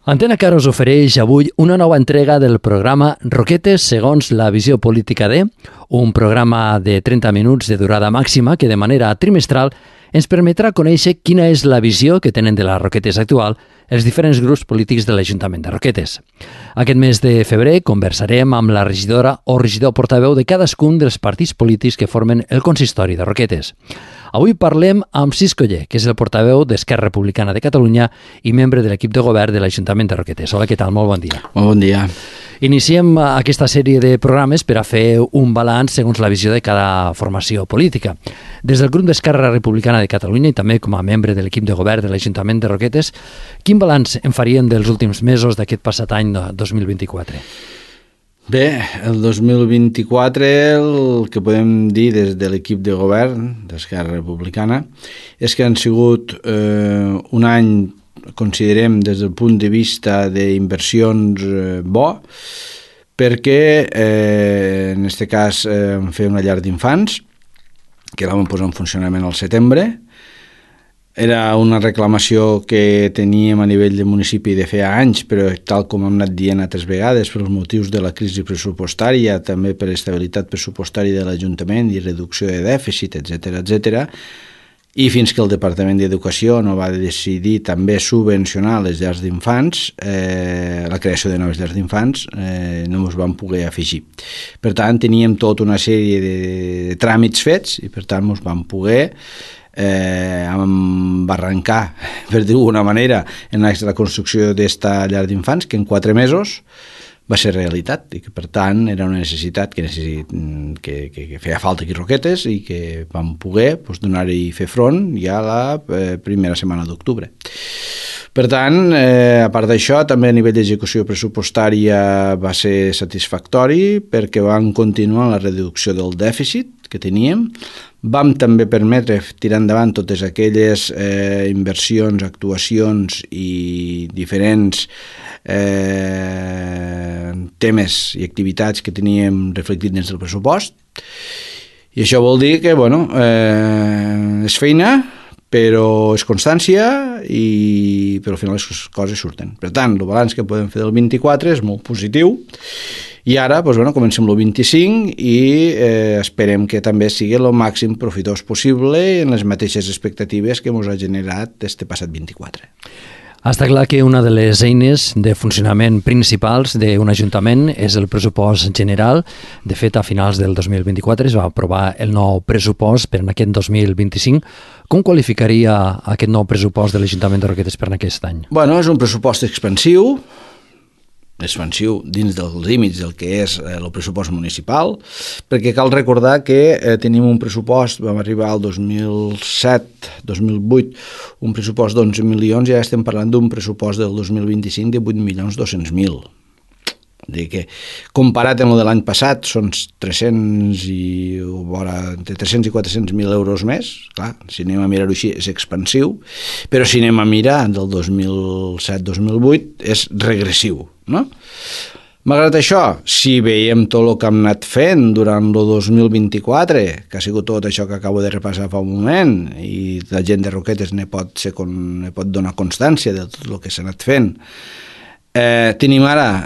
Antena Car us ofereix avui una nova entrega del programa Roquetes segons la visió política de, un programa de 30 minuts de durada màxima que de manera trimestral ens permetrà conèixer quina és la visió que tenen de les Roquetes actual els diferents grups polítics de l'Ajuntament de Roquetes. Aquest mes de febrer conversarem amb la regidora o regidor portaveu de cadascun dels partits polítics que formen el consistori de Roquetes. Avui parlem amb Cis Coller, que és el portaveu d'Esquerra Republicana de Catalunya i membre de l'equip de govern de l'Ajuntament de Roquetes. Hola, què tal? Molt bon dia. Molt bon dia. Iniciem aquesta sèrie de programes per a fer un balanç segons la visió de cada formació política. Des del grup d'Esquerra Republicana de Catalunya i també com a membre de l'equip de govern de l'Ajuntament de Roquetes, quin balanç en farien dels últims mesos d'aquest passat any 2024? Bé, el 2024 el que podem dir des de l'equip de govern d'Esquerra Republicana és que han sigut un any, considerem des del punt de vista d'inversions bo, perquè en aquest cas vam fer una llar d'infants que la vam posar en funcionament al setembre. Era una reclamació que teníem a nivell de municipi de feia anys, però tal com hem anat dient altres vegades, pels motius de la crisi pressupostària, també per estabilitat pressupostària de l'Ajuntament i reducció de dèficit, etc., i fins que el Departament d'Educació no va decidir també subvencionar les llars d'infants, la creació de noves llars d'infants, no ens vam poder afegir. Per tant, teníem tota una sèrie de tràmits fets i per tant ens vam poder embarrancar, per dir-ho d'una manera, en la construcció d'esta llar d'infants, que en 4 mesos va ser realitat i que per tant era una necessitat que feia falta aquí Roquetes i que vam poder donar-hi fer front ja la primera setmana d'octubre. Per tant, a part d'això, també a nivell d'execució pressupostària va ser satisfactori perquè vam continuar la reducció del dèficit que teníem. Vam també permetre tirar endavant totes aquelles inversions, actuacions i diferents temes i activitats que teníem reflectit dins del pressupost. I això vol dir que, és feina, però és constància però al final les coses surten. Per tant, el balanç que podem fer del 24 és molt positiu i ara comencem el 25 i esperem que també sigui el màxim profitós possible en les mateixes expectatives que ens ha generat este passat 24. Està clar que una de les eines de funcionament principals d'un ajuntament és el pressupost general. De fet, a finals del 2024 es va aprovar el nou pressupost per aquest 2025. Com qualificaria aquest nou pressupost de l'Ajuntament de Roquetes per aquest any? És un pressupost expansiu dins dels límits del que és el pressupost municipal, perquè cal recordar que tenim un pressupost, vam arribar al 2007-2008, un pressupost d'11 milions i ara estem parlant d'un pressupost del 2025 de 8.200.000. Dir que comparat amb el de l'any passat són 300 i 400.000 euros més. Clar, si anem a mirar-ho així és expansiu, però si anem a mirar del 2007-2008 és regressiu, no? Malgrat això, si veiem tot el que hem anat fent durant el 2024, que ha sigut tot això que acabo de repassar fa un moment, i la gent de Roquetes ne pot donar constància de tot el que s'ha anat fent, tenim ara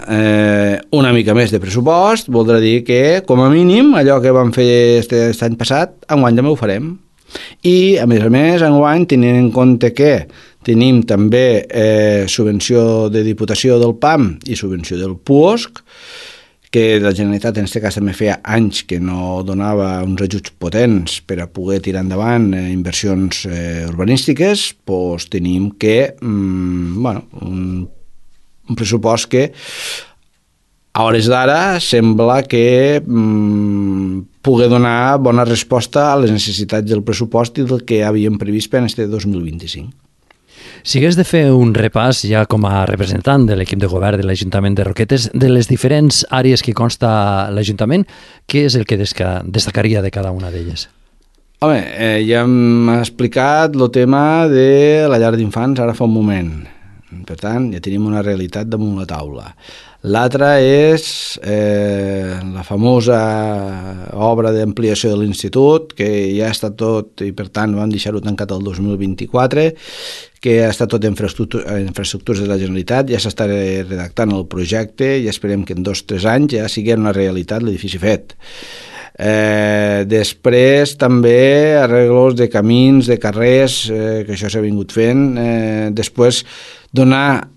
una mica més de pressupost, voldrà dir que, com a mínim, allò que vam fer aquest any passat, enguany també ho farem. I, a més, enguany, tenint en compte que tenim també subvenció de Diputació del PAM i subvenció del PUOSC, que la Generalitat en aquest cas també feia anys que no donava uns ajuts potents per a poder tirar endavant inversions urbanístiques, doncs tenim que un pressupost que a hores d'ara sembla que pugui donar bona resposta a les necessitats del pressupost i del que havíem previst per aquest 2025. Si hagués de fer un repàs ja com a representant de l'equip de govern de l'Ajuntament de Roquetes, de les diferents àrees que consta l'Ajuntament, què és el que destacaria de cada una d'elles? Ja hem explicat el tema de la llar d'infants ara fa un moment. Per tant, ja tenim una realitat damunt la taula. L'altra és la famosa obra d'ampliació de l'institut, que ja està tot, i per tant vam deixar-ho tancat el 2024, que ha estat tot infraestructures de la Generalitat, ja s'està redactant el projecte i esperem que en 2 o 3 anys ja sigui una realitat l'edifici fet. Després també arreglos de camins, de carrers, que això s'ha vingut fent. Després donar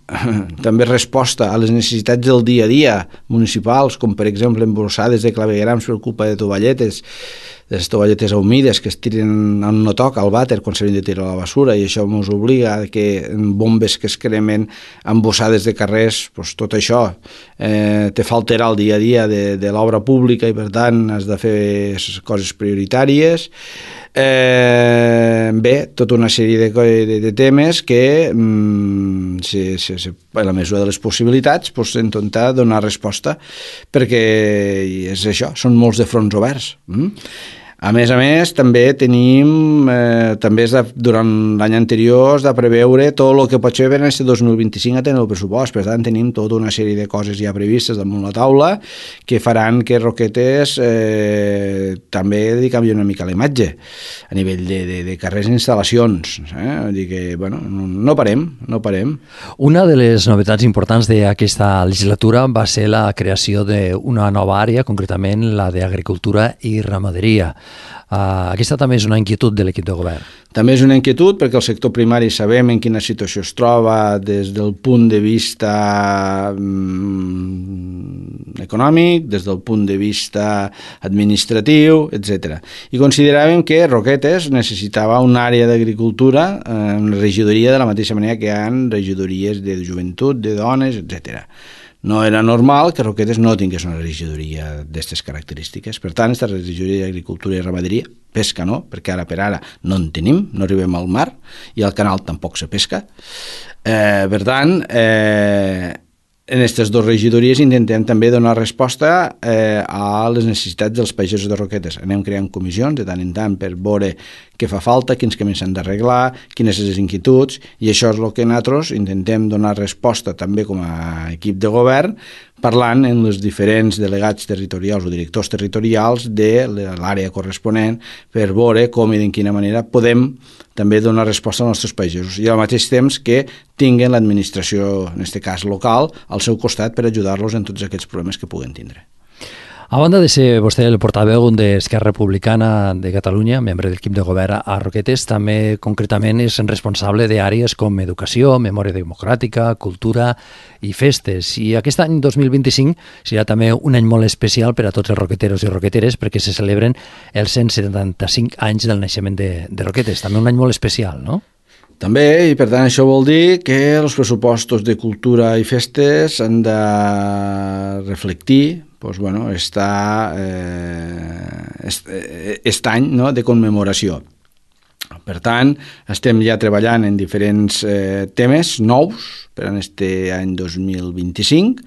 també resposta a les necessitats del dia a dia municipals, com per exemple emborsades de claveguerams per culpa de tovalletes, de les tovalletes humides que es tiren on no toca al vàter quan s'havien de tirar a la basura, i això ens obliga a que bombes que es cremen, embossades de carrers, doncs tot això te fa alterar el dia a dia de l'obra pública i per tant has de fer coses prioritàries. Bé, tota una sèrie de temes que a la mesura de les possibilitats intentar donar resposta, perquè és això, són molts de fronts oberts. A més, també tenim, durant l'any anterior es de preveure tot el que pot ser en aquest 2025 a tenir el pressupost. Per tant, tenim tota una sèrie de coses ja previstes damunt la taula que faran que Roquetes també li canvi una mica la imatge a nivell de carrers i instal·lacions. Vull dir que, bueno, no parem. Una de les novetats importants d'aquesta legislatura va ser la creació d'una nova àrea, concretament la d'agricultura i ramaderia. Aquesta també és una inquietud de l'equip de govern. També és una inquietud perquè el sector primari sabem en quina situació es troba des del punt de vista econòmic, des del punt de vista administratiu, etc. I consideràvem que Roquetes necessitava una àrea d'agricultura, una regidoria de la mateixa manera que hi ha regidories de joventut, de dones, etc. No era normal que Roquetes no tingués una regidoria d'aquestes característiques. Per tant, aquesta regidoria d'agricultura i ramaderia, pesca no, perquè ara per ara no en tenim, no arribem al mar i al canal tampoc se pesca. Per tant, en aquestes 2 regidories intentem també donar resposta a les necessitats dels pagesos de Roquetes. Anem creant comissions de tant en tant per veure què fa falta, quins camins s'han d'arreglar, quines són les inquietuds, i això és el que nosaltres intentem donar resposta també com a equip de govern, parlant amb els diferents delegats territorials o directors territorials de l'àrea corresponent per veure com i de quina manera podem també donar resposta als nostres pagesos i al mateix temps que tinguen l'administració, en aquest cas local, al seu costat per ajudar-los en tots aquests problemes que puguen tindre. A banda de ser vostè el portaveu d'Esquerra Republicana de Catalunya, membre de l'equip de govern a Roquetes, també concretament és responsable d'àrees com educació, memòria democràtica, cultura i festes. I aquest any 2025 serà també un any molt especial per a tots els roqueteros i roqueteres perquè se celebren els 175 anys del naixement de Roquetes. També un any molt especial, no? També, i per tant això vol dir que els pressupostos de cultura i festes han de reflectir aquest any de commemoració. Per tant, estem ja treballant en diferents temes nous per a aquest any 2025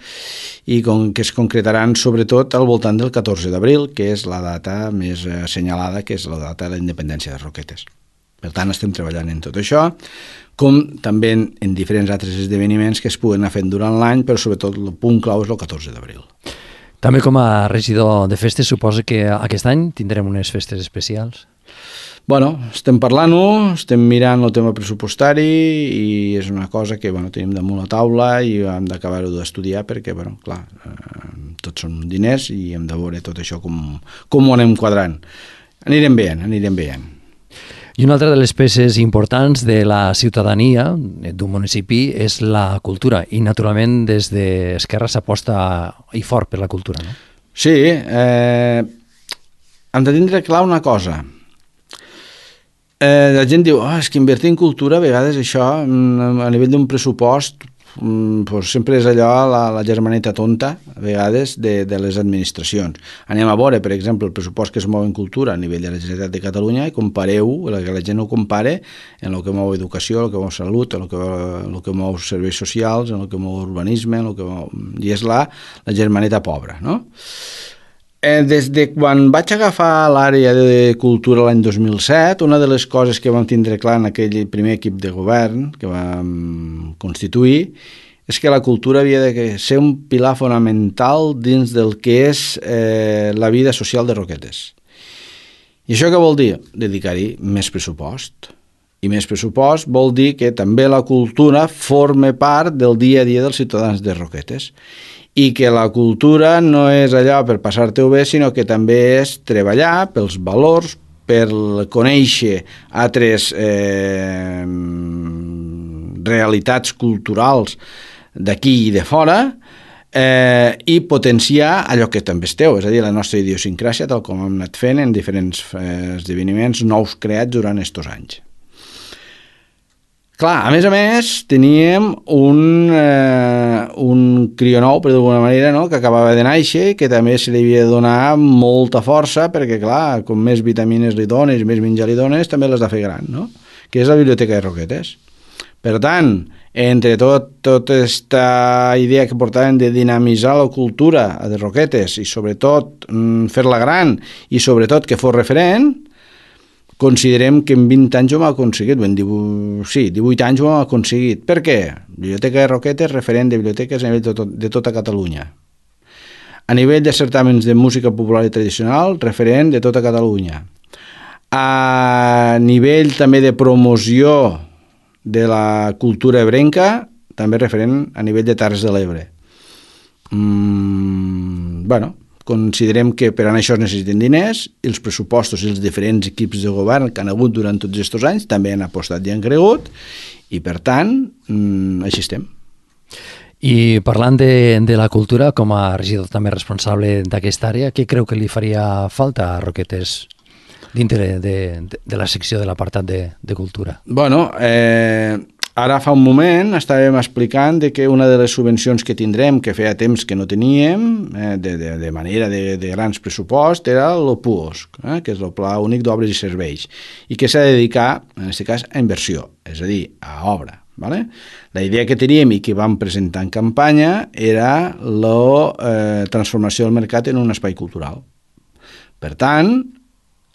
i que es concretaran sobretot al voltant del 14 d'abril, que és la data més assenyalada, que és la data de la independència de Roquetes. Per tant, estem treballant en tot això, com també en diferents altres esdeveniments que es puguen anar fent durant l'any, però sobretot el punt clau és el 14 d'abril. També com a regidor de festes, suposo que aquest any tindrem unes festes especials? Bueno, estem parlant-ho, estem mirant el tema pressupostari i és una cosa que tenim damunt la taula i hem d'acabar-ho d'estudiar perquè, clar, tots són diners i hem de veure tot això com ho anem quadrant. Anirem veient. I una altra de les peces importants de la ciutadania d'un municipi és la cultura i naturalment des d'Esquerra s'aposta i fort per la cultura, no? Sí, hem de tindre clar una cosa. La gent diu, és que invertir en cultura a vegades això a nivell d'un pressupost sempre és allò la germaneta tonta a vegades de les administracions. Anem a veure, per exemple, el pressupost que es mou en cultura a nivell de la Generalitat de Catalunya i compareu, que la gent ho compare en el que mou educació, en el que mou salut, en el que mou serveis socials, en el que mou urbanisme, i és la germaneta pobra, no? des de quan vaig agafar l'àrea de cultura l'any 2007, una de les coses que vam tindre clar en aquell primer equip de govern que vam constituir és que la cultura havia de ser un pilar fonamental dins del que és la vida social de Roquetes. I això què vol dir? Dedicar-hi més pressupost. I més pressupost vol dir que també la cultura forma part del dia a dia dels ciutadans de Roquetes i que la cultura no és allò per passar-te-ho bé, sinó que també és treballar pels valors, per conèixer altres realitats culturals d'aquí i de fora i potenciar allò que també és teu, és a dir, la nostra idiosincràsia, tal com hem anat fent en diferents esdeveniments nous creats durant aquests anys. Clar, a més, teníem un crió nou, per d'alguna manera, no?, que acabava de néixer i que també se li havia de donar molta força perquè, clar, com més vitamines li dones i més menjar li dones, també l'has de fer gran, no?, que és la Biblioteca de Roquetes. Per tant, entre tota aquesta idea que portaven de dinamitzar la cultura de Roquetes i sobretot fer-la gran i sobretot que fos referent, considerem que en 20 anys ho hem aconseguit, 18 anys ho hem aconseguit. Per què? Biblioteca de Roquetes, referent de biblioteques a nivell de tota Catalunya. A nivell de certàmens de música popular i tradicional, referent de tota Catalunya. A nivell també de promoció de la cultura ebrenca, també referent a nivell de Terres de l'Ebre. Considerem que per a això es necessiten diners i els pressupostos i els diferents equips de govern que han hagut durant tots aquests anys també han apostat i han cregut i per tant així estem. I parlant de la cultura, com a regidor també responsable d'aquesta àrea, què creu que li faria falta a Roquetes dintre de la secció de l'apartat de cultura? Ara fa un moment estàvem explicant que una de les subvencions que tindrem, que feia temps que no teníem, de manera de grans pressupost, era el PUOSC, que és el Pla Únic d'Obres i Serveis, i que s'ha de dedicar, en aquest cas, a inversió, és a dir, a obra. Vale? La idea que teníem i que vam presentar en campanya era la transformació del mercat en un espai cultural. Per tant,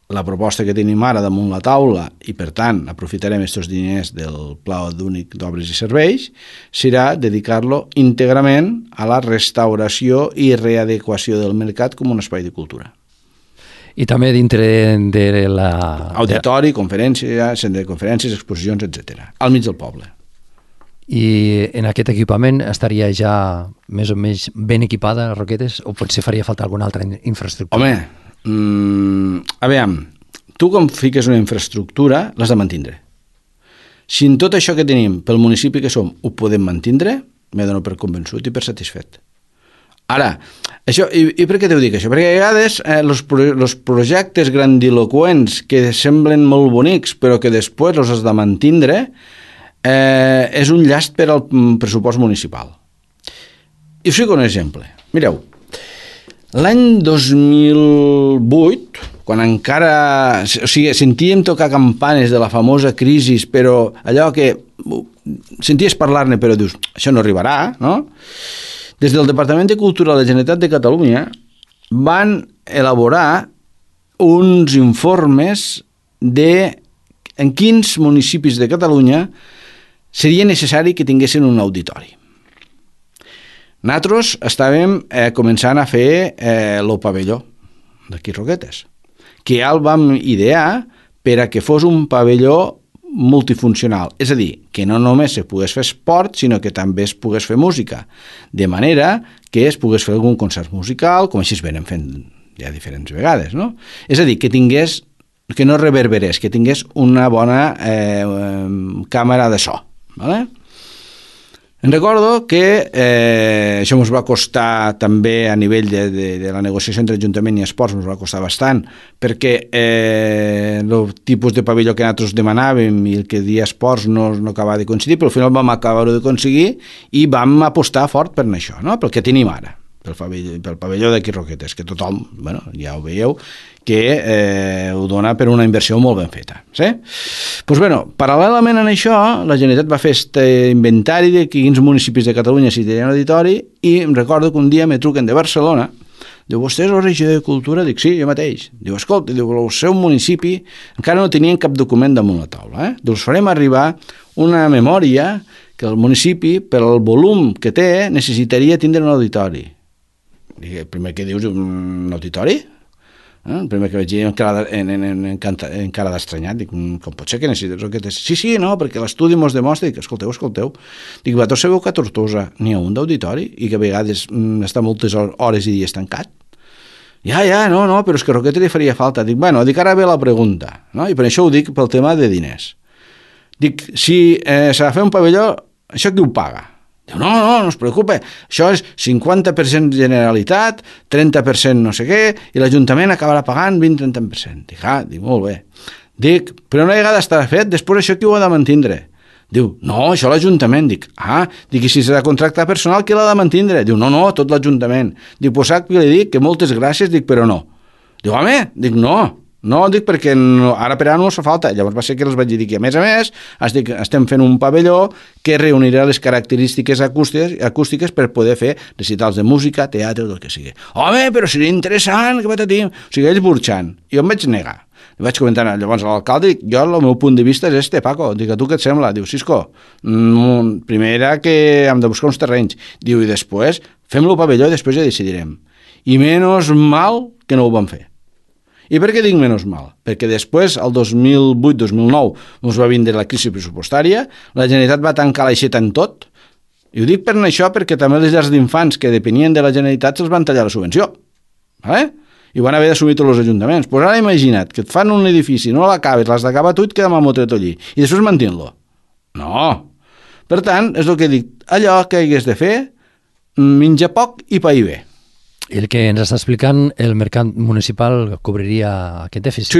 la proposta que tenim ara damunt la taula i, per tant, aprofitarem aquests diners del Pla Únic d'Obres i Serveis serà dedicar-lo íntegrament a la restauració i readequació del mercat com un espai de cultura. I també dintre de la... Auditori, conferències, centre de conferències, exposicions, etc. Al mig del poble. I en aquest equipament estaria ja més o menys ben equipada Roquetes o potser faria falta alguna altra infraestructura? Home, aviam, tu com fiques una infraestructura l'has de mantindre. Si en tot això que tenim pel municipi que som ho podem mantindre, m'he donat per convençut i per satisfet. Ara, això, i per què t'ho dic això? Perquè a vegades els projectes grandiloquents que semblen molt bonics però que després els has de mantindre és un llast per al pressupost municipal. I us fico un exemple. Mireu, l'any 2008, quan encara sentíem tocar campanes de la famosa crisi, però allò que senties parlar-ne però dius, això no arribarà, no? Des del Departament de Cultura de la Generalitat de Catalunya van elaborar uns informes de en quins municipis de Catalunya seria necessari que tinguessin un auditori. Nosaltres estàvem començant a fer el pavelló d'aquí Roquetes, que ja el vam idear per a que fos un pavelló multifuncional, és a dir, que no només se pogués fer esport, sinó que també es pogués fer música, de manera que es pogués fer algun concert musical, com així es venen fent ja diferents vegades, no? És a dir, que no reverberés, que tingués una bona càmera de so. Vale? Em recordo que això ens va costar també a nivell de la negociació entre Ajuntament i Esports, ens va costar bastant, perquè el tipus de pavelló que nosaltres demanàvem i el que dia Esports no acabava de coincidir, però al final vam acabar-ho de aconseguir i vam apostar fort per això, no? Pel que tenim ara, pel pavelló d'aquí Roquetes, que tothom, bueno, ja ho veieu, que ho dona per una inversió molt ben feta. Sí? Doncs, bueno, paral·lelament a això, la Generalitat va fer aquest inventari de quins municipis de Catalunya s'hi tenien auditori i em recordo que un dia me truquen de Barcelona Diu, vostè és el regidor de Cultura? Dic, sí, jo mateix. Diu, escolta, diu, el seu municipi encara no tenien cap document damunt la taula. Diu, us farem arribar una memòria que el municipi, per al volum que té, necessitaria tindre un auditori. Dic, el primer que dius, un auditori? El primer que vaig dir en cara d'estranyat, dic, com pot ser que necessites Roquetes? Sí, no, perquè l'estudi mos demostra, dic, escolteu. Dic, vosaltres sabeu que a Tortosa n'hi ha un d'auditori i que a vegades està moltes hores i dies tancat? Ja, no, però és que a Roquetes li faria falta. Dic, dic, ara ve la pregunta, no? I per això ho dic pel tema de diners. Dic, si s'ha de fer un pavelló, això qui ho paga? Diu, no es preocupe, això és 50% Generalitat, 30% no sé què, i l'Ajuntament acabarà pagant 20-30%. Dic, molt bé. Dic, però una vegada estarà fet, després això qui ho ha de mantindre? Diu, no, això l'Ajuntament. Dic, i si s'ha de contractar personal, qui l'ha de mantindre? Diu, no, tot l'Ajuntament. Dic, pues sap què li dic? Que moltes gràcies, dic, però no. Diu, home, dic, no, dic, perquè ara per ara no fa falta. Llavors va ser que els vaig dir que, a més, estem fent un pavelló que reunirà les característiques acústiques per poder fer recitals de música, teatre, del que sigui. Home, però seria interessant, que patatim. O sigui, ells burxant. I jo em vaig negar. Li vaig comentar llavors a l'alcalde, dic, jo el meu punt de vista és Paco. Dic, a tu què et sembla? Diu, Cisco, primer era que hem de buscar uns terrenys. Diu, i després fem-lo pavelló i després ja decidirem. I menys mal que no ho vam fer. I per què dic menys mal? Perquè després, el 2008-2009, ens va vindre la crisi pressupostària, la Generalitat va tancar l'aixeta en tot, i ho dic per això perquè també les llars d'infants que depenien de la Generalitat se'ls van tallar la subvenció. I van haver d'assumir tots els ajuntaments. Pues ara imagina't que et fan un edifici, no l'acabes, l'has d'acabar tu i et queda amb el motret allí, i després mantint-lo. No. Per tant, és el que dic, allò que hagués de fer, menja poc i pair bé. I el que ens està explicant, el mercat municipal cobriria aquest dèficit?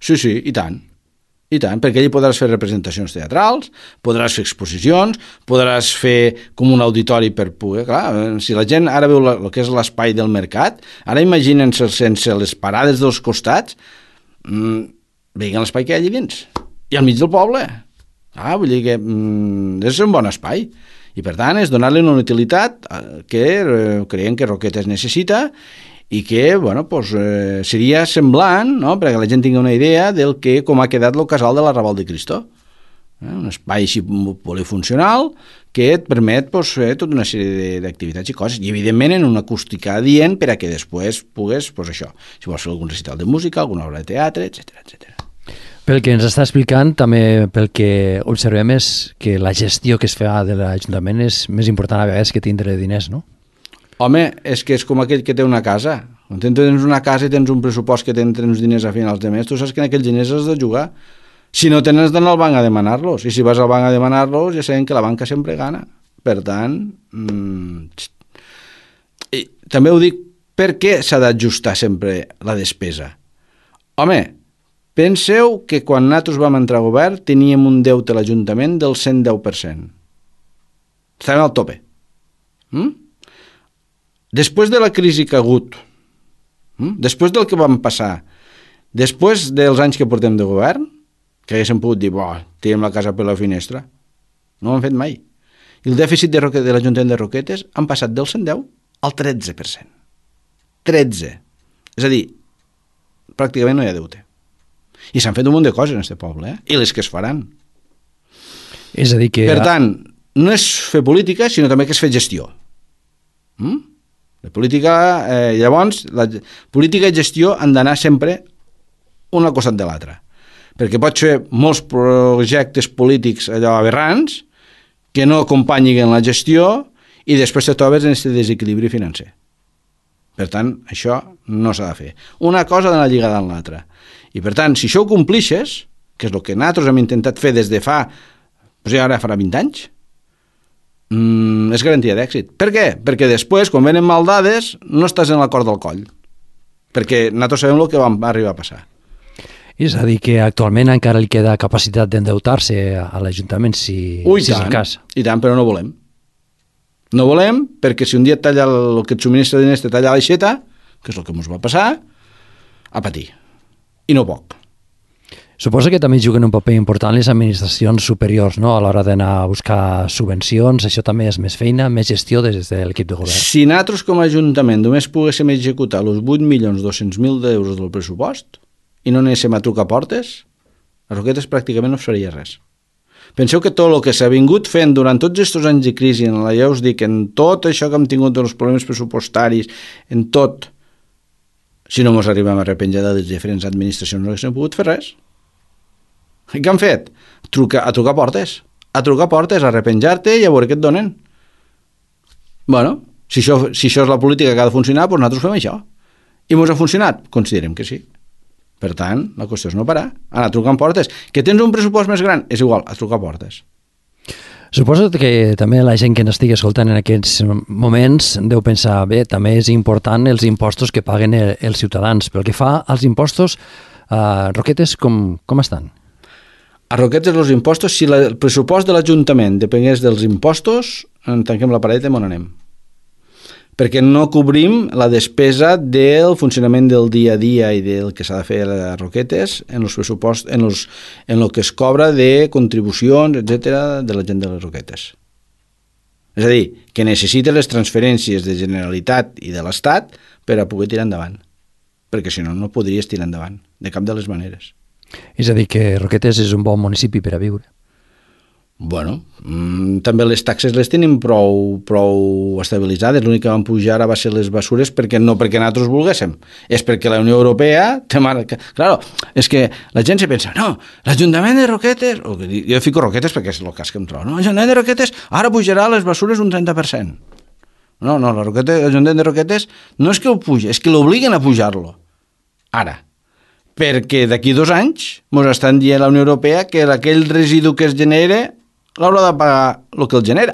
Sí, i tant, perquè allà podràs fer representacions teatrals, podràs fer exposicions, podràs fer com un auditori per poder... Clar, si la gent ara veu el que és l'espai del mercat, ara imaginen-se sense les parades dels costats, veien l'espai que hi ha allà dins, i al mig del poble. Vull dir que és un bon espai. I per tant és donar-li una utilitat que creiem que Roquetes necessita i que seria semblant, no? Perquè la gent tingui una idea del que com ha quedat el casal de la Raval de Cristo. Un espai així polifuncional que et permet fer tota una sèrie d'activitats i coses, i evidentment en una acústica adient per a que després pugues, això, si vols fer algun recital de música, alguna obra de teatre, etc. Pel que ens està explicant, també pel que observem és que la gestió que es fa de l'Ajuntament és més important a vegades que tindre diners, no? Home, és que és com aquell que té una casa. Quan tens una casa i tens un pressupost que tens uns diners a finals de mes, tu saps que en aquells diners has de jugar. Si no tens d'anar al banc a demanar-los, i si vas al banc a demanar-los ja sabem que la banca sempre gana. Per tant, també ho dic, per què s'ha d'ajustar sempre la despesa? Home, penseu que quan nosaltres vam entrar a govern teníem un deute a l'Ajuntament del 110%. Estàvem al tope. Després de la crisi que ha hagut, després del que vam passar, després dels anys que portem de govern, que haguéssim pogut dir, tirem la casa per la finestra, no ho hem fet mai. I el dèficit de l'Ajuntament de Roquetes han passat del 110 al 13%. 13. És a dir, pràcticament no hi ha deute. I s'han fet un munt de coses en aquest poble, i les que es faran. És a dir que... Per tant, no és fer política, sinó també que és fer gestió. La política, llavors, la política i gestió han d'anar sempre un al costat de l'altre. Perquè pots fer molts projectes polítics allò aberrants que no acompanyin la gestió i després te trobes en aquest desequilibri financer. Per tant, això no s'ha de fer. Una cosa ha d'anar lligada amb l'altra. I per tant, si això ho complixes, que és el que nosaltres hem intentat fer des de fa, ara farà 20 anys, és garantia d'èxit. Per què? Perquè després, quan venen mal dades, no estàs en la cort del coll. Perquè nosaltres sabem el que va arribar a passar. És a dir, que actualment encara li queda capacitat d'endeutar-se a l'Ajuntament si és el cas. I tant, però no volem. No volem, perquè si un dia et talla el que et subministra diners, te talla l'aixeta, que és el que ens va passar, a patir. I no poc. Suposo que també juguen un paper important les administracions superiors, no?, a l'hora d'anar a buscar subvencions. Això també és més feina, més gestió des de l'equip de govern. Si nosaltres com a Ajuntament només poguéssim executar els 8.200.000 d'euros del pressupost i no anéssim a trucar portes, a Roquetes pràcticament no es faria res. Penseu que tot el que s'ha vingut fent durant tots aquests anys de crisi, ja us dic, en tot això que hem tingut dels problemes pressupostaris, en tot, si no ens arribem a arrepenjar de les diferents administracions no haguéssim pogut fer res. I què han fet? A trucar portes, a arrepenjar-te i a veure què et donen. Bueno, si això és la política que ha de funcionar, doncs nosaltres fem això. I ens ha funcionat? Considerem que sí. Per tant, la qüestió és no parar, anar trucant portes. Que tens un pressupost més gran? És igual, a trucar portes. Suposo que també la gent que ens estigui escoltant en aquests moments deu pensar, bé, també és important els impostos que paguen els ciutadans. Pel que fa als impostos, Roquetes, com estan? A Roquetes els impostos, si el pressupost de l'Ajuntament depengués dels impostos, tanquem la paret i on anem. Perquè no cobrim la despesa del funcionament del dia a dia i del que s'ha de fer a Roquetes en els pressupost, en el que es cobra de contribucions, etc de la gent de les Roquetes. És a dir, que necessita les transferències de Generalitat i de l'Estat per a poder tirar endavant. Perquè si no, no podries tirar endavant, de cap de les maneres. És a dir, que Roquetes és un bon municipi per a viure. Bueno, també les taxes les tenim prou estabilitzades. L'únic que van pujar ara va ser les bessures no perquè nosaltres volguéssim, és perquè la Unió Europea té marca. Claro, és que la gent se pensa, no, l'Ajuntament de Roquetes, jo fico Roquetes perquè és el cas que em trobo, no, l'Ajuntament de Roquetes ara pujarà les bessures un 30%. No, l'Ajuntament de Roquetes no és que ho puja, és que l'obliguen a pujar-lo. Ara, perquè d'aquí 2 anys ens estan dient la Unió Europea que aquell residu que es genera l'haurà de pagar el que el genera.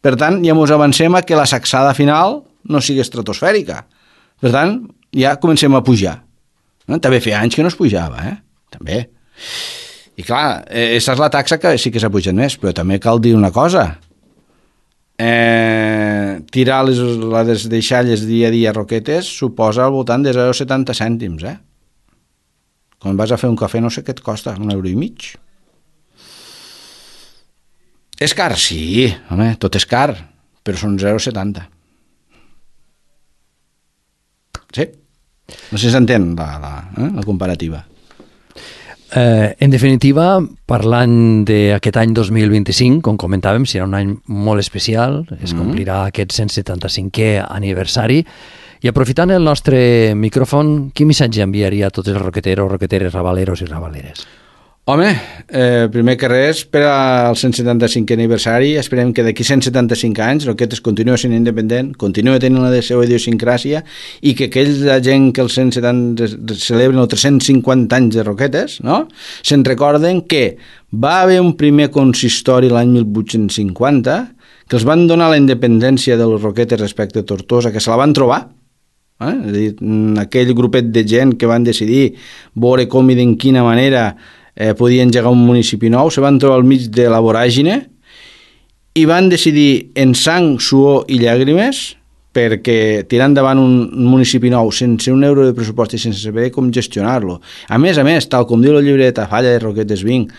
Per tant, ja ens avancem a que la sacsada final no sigui estratosfèrica. Per tant, ja comencem a pujar. També feia anys que no es pujava, també. I clar, aquesta és la taxa que sí que s'ha pujat més, però també cal dir una cosa. Tirar les deixalles dia a dia a Roquetes suposa al voltant de 0,70 cèntims. Quan vas a fer un cafè no sé què et costa, €1,50. És car? Sí, home, tot és car, però són 0,70. Sí? No sé si s'entén la comparativa. En definitiva, parlant d'aquest any 2025, com comentàvem, serà un any molt especial, es complirà aquest 175è aniversari, i aprofitant el nostre micròfon, quin missatge enviaria a tots els roqueteros, roqueteres, rabaleros i rabaleres? Home, primer que res, per al 175è aniversari, esperem que d'aquí 175 anys Roquetes continua sent independent, continua tenint la seva idiosincràsia i que aquella gent que els 170 celebren els 350 anys de Roquetes, no? Se'n recorden que va haver un primer consistori l'any 1850 que els van donar la independència de les Roquetes respecte a Tortosa, que se la van trobar, és a dir, aquell grupet de gent que van decidir veure com i d'en quina manera podien engegar un municipi nou, se van trobar al mig de la voràgine i van decidir en sang, suor i llàgrimes perquè tirar endavant un municipi nou sense €1 de pressupost i sense saber com gestionar-lo. A més, tal com diu el llibre de Tafalla de Roquetes Vinc,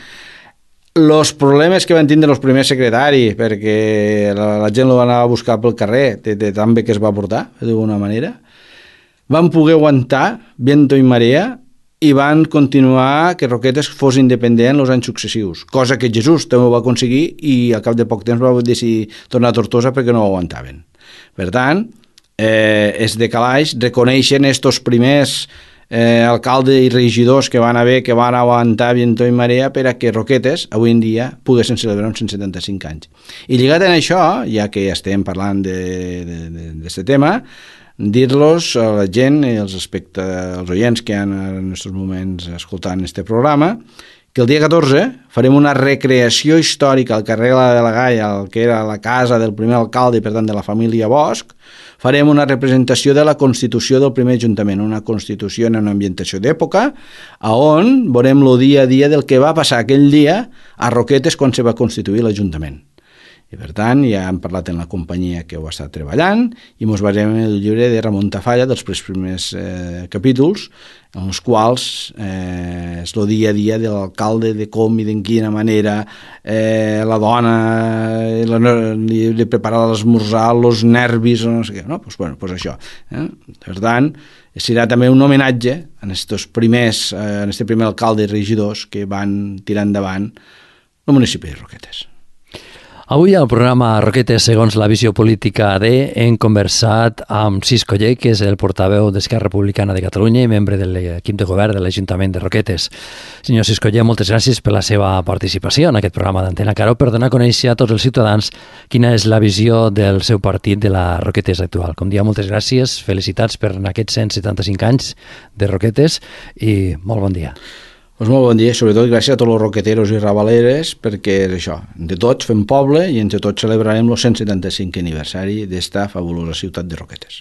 els problemes que van tindre els primers secretaris perquè la gent lo va anar a buscar pel carrer de tan bé que es va portar, d'alguna manera, van poder aguantar viento i marea i van continuar que Roquetes fos independent els anys successius, cosa que Jesús també ho va aconseguir i al cap de poc temps va decidir tornar a Tortosa perquè no ho aguantaven. Per tant, és de calaix, reconeixen estos primers alcaldes i regidors que van haver, que van aguantar viento i marea per a que Roquetes avui en dia poguessin celebrar uns 175 anys. I lligat en això, ja que estem parlant d'aquest tema, dir-los a la gent i als oients que han en aquests moments escoltant este programa que el dia 14 farem una recreació històrica al carrer de la Galla, que era la casa del primer alcalde i per tant de la família Bosch. Farem una representació de la constitució del primer ajuntament, una constitució en una ambientació d'època, on veurem el dia a dia del que va passar aquell dia a Roquetes quan se va constituir l'Ajuntament. I per tant ja hem parlat en la companyia que ho està treballant i ens basem en el llibre de Ramon Tafalla dels primers capítols, en els quals és el dia a dia de l'alcalde, de com i de quina manera la dona li prepara l'esmorzar, els nervis, no sé què, no? Pues això. Per tant, serà també un homenatge en aquest primer alcalde i regidors que van tirar endavant el municipi de Roquetes. Avui al programa Roquetes segons la visió política AD hem conversat amb Cis Coller, que és el portaveu d'Esquerra Republicana de Catalunya i membre de l'equip de govern de l'Ajuntament de Roquetes. Senyor Cis Coller, moltes gràcies per la seva participació en aquest programa d'Antena Caro per donar a conèixer a tots els ciutadans quina és la visió del seu partit de la Roquetes actual. Com dia, moltes gràcies, felicitats per aquests 175 anys de Roquetes i molt bon dia. Pues molt bon dia, sobretot gràcies a tots els roqueteros i rabaleres, perquè és això, de tots fem poble i entre tots celebrarem el 175 aniversari d'esta fabulosa ciutat de Roquetes.